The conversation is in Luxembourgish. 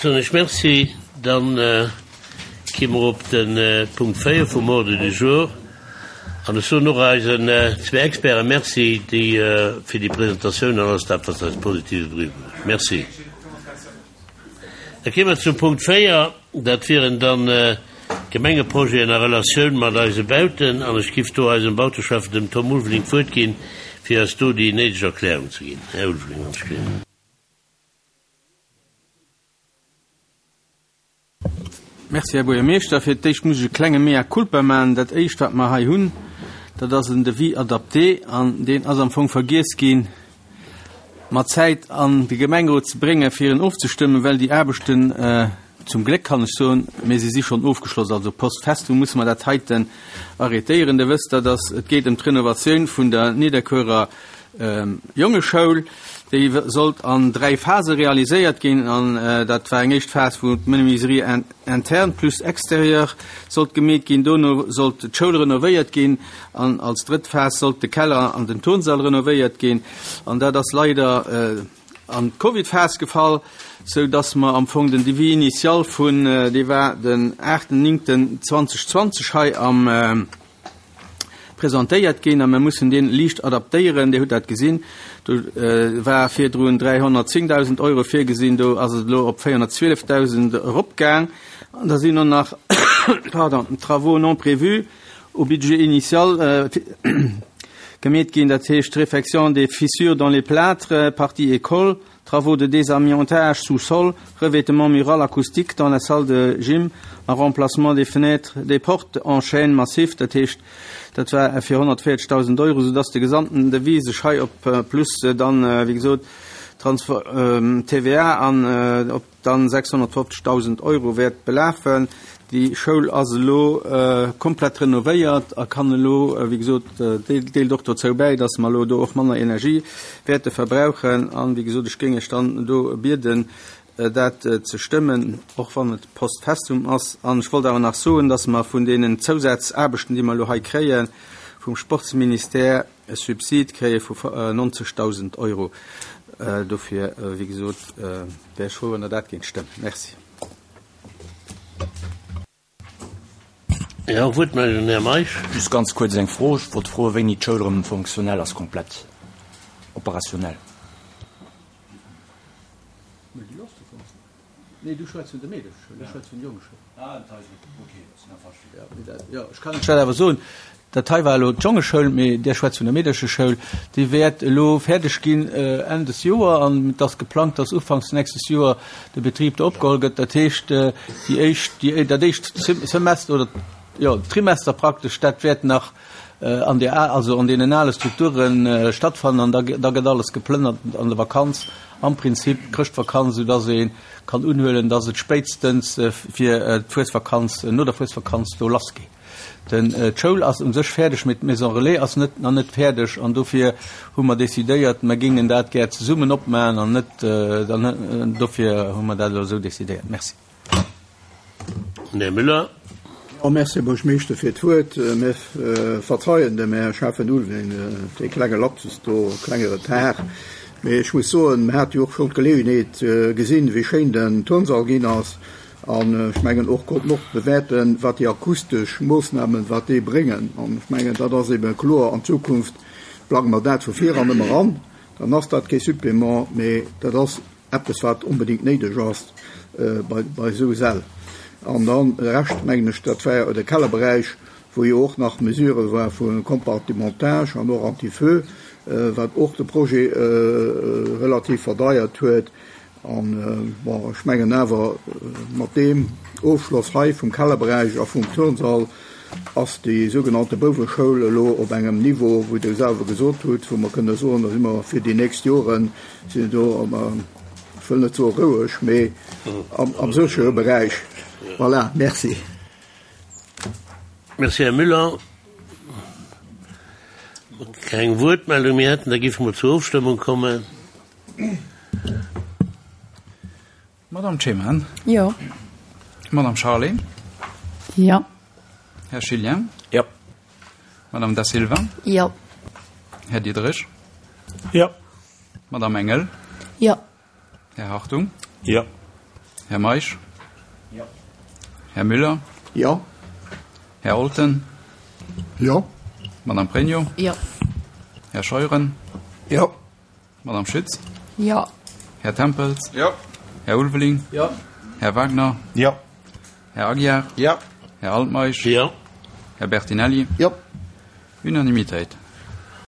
Soen ech Merci. Dann gi mer op de Punkt 4 vum Ordre du jour. An ech soen och eisen zwee Experte Merci, déi fir déi Presentatioun an alles dat, wat se eis Positives eriwwerbruecht hunn. Merci. Da kéime mer zum Punkt 4. Dat wieren dann d'Gemengeprojeten a Relatioun mat eise Bauten. An ech giff do eisem Bauteschäffen, dem Tom Ulveling, d'Wuert ginn, fir eis do déi néideg Erklärung ze ginn. Här Ulveling, wann ech gleewen. Merci, Här Buergermeeschter. Fir d'éischt muss ech e klenge Mea culpa maachen. Dat Éischt, wat mer hei hunn, dat ass en Devis adapté an deen ass am Fong vergiess ginn, mat Zäit an de Gemengerot ze bréngen, fir en ofzestëmmen, well déi Aarbechten, zum Gléck kann ech soen, mä se si schonn ofgeschloss, also post festum musse mer dat heiten arrêtéieren. Dir wësst, dat ass, et geet ëm d'Renovatioun vun der Nidderkuerer Jongeschoul, déi sollt an 3 Phase realiséiert ginn an dat war eng éischt Phas, wou d'Menuiserie interne plus extérieure sollt gemeet ginn, dono sollt d'Schoul renovéiert ginn an als drëtt Phas sollt de Keller an den Turnsall renovéiert ginn. An dat ass leider an d'Covid-Phas gefall, sou dass mer am Fong den Devis initial vun, dee war den 8.9.2020 hei am, presentéiert ginn a mir mussen deen liicht adaptéieren. Dir hutt dat gesinn, do war virdrun 310.000 Euro virgesinn, do ass et elo op 412.000 eropgaang. An da sinn och nach, pardon, Travaux non prévus au budget initial gemeet ginn, dat heescht Réfection des fissures dans les plâtres, partie école, Travaux de désamiantage sous-sol, revêtement mural acoustique dans la salle de gym a remplacement des fenêtres, des portes en chêne massif, dat heescht, dat war fir 140.000 Euro, soudass de gesamten Devis sech hei op plus dann, wéi gesot, Transfer, TVA an op dann 650.000 Euro wäert belafen. Déi Schoul ass elo komplett renovéiert a kann elo, wéi gesot, deelt och dozou bäi, dass mer elo do och manner Energie wäerte verbrauchen. An, wéi gesot, ech géing Iech dann do bieden, dat ze stëmmen, och wann et post festum ass. An ech wollt awer nach soen, dass mer vun deenen Zousazaarbechten, déi mer elo hei kréie vum Sportsministère, e Subsid kréie vu 90.000 Euro. Dofir, wéi gesot, wär ech frou, wann Der dat géingt stëmmen. Merci. Jo, Wuertmeldung, Här Meisch. Just ganz kuerz eng Fro. Ech wollt froen, wéini d'Schoul erëm fonctionnel ass, komplett operationnel. Ech well awer soen, Dat hei war elo d'Jongeschoul, mee Dir schwätzt vun der Meedercheschoul. Déi wäert elo fäerdeg ginn Enn des Joer an et ass geplangt, dass ufanks nächstes Joer de Betrib do opgeholl gëtt. Dat heescht, déi éischt, déi, dat éischt Semester oder, jo, Trimester praktesch, dat wäert nach an där, also an deenen ale Strukture stattfannen an da, da gëtt alles geplënnert an der Vakanz, am Prinzip Chrëschtvakanz, soudass ee kann unhuelen, dass et spéitstens fir d'Fuesvakanz, no der Fuesvakanz do lassgeet. Den d'Schoul ass u sech fäerdeg, mee d'Maison Relais ass net nach net fäerdeg an dofir hu mer decidéiert, mer géingen dat gär zesummen opmachen an net dann dofir hu mer dat elo esou decidéiert. Merci. Här Müller. Jo, merci, Här Buergermeeschter, fir d'Wuert. Mir verzeien dem Här Schäffen Ulveling dee klenge Lapsus do, klenge Retard. Mee ech muss soen, mir hate jo och schonn d'Geleeënheet gesinn, wéi schéin den Turnsall ginn ass. An ech mengen och konnten och bewäerten, wat déi akustesch Moossnamen, wat déi bréngen. An ech mengen, dat ass ebe kloer, an Zukunft plange mer dat vu vir an ëmmer an. Dann ass dat kee Supplément, mee dat ass eppes, wat onbedéngt néideg ass bei bei esou Säll. An dann de Rescht, mengen ech, dat war de Kellerberäich, wou jo och nach Mesure war vu Compartimentage an och Anti-feu, wat och de Projet relativ verdeiert huet. An, bon, ech mengen awer, mat deem Ofschloss hei vum Kellerberäich a vum Turnsall ass déi sougenannte Bouweschoul elo op engem Niveau, wou Der selwer gesot hutt, wou mer kënne soen, da si mer fir déi nächst Joren, si do, ech wëll net soe roueg, mee am séchere Beräich. Voilà, merci. Merci, Här Müller. Keng Wuertmeldung méi hätten, da géife mer zur Ofstëmmung kommen. Madame Ceman. Jo. Madame Charlé. Jo. Här Schilien. Jo. Madame Da Silva. Jo. Här Diderich. Jo. Madame Engel. Jo. Här Hartung. Jo. Här Meisch? Jo. Här Müller? Jo. Här Olten? Jo. Madame Pregno? Jo. Här Scheuren? Jo. Madame Schütz? Jo. Här Tempels? Jo. Här Ulveling? Jo. Här Wagner? Jo. Här Aguiar? Jo. Här Altmeisch? Jo. Här Bertinelli? Jo. Unanimitéit.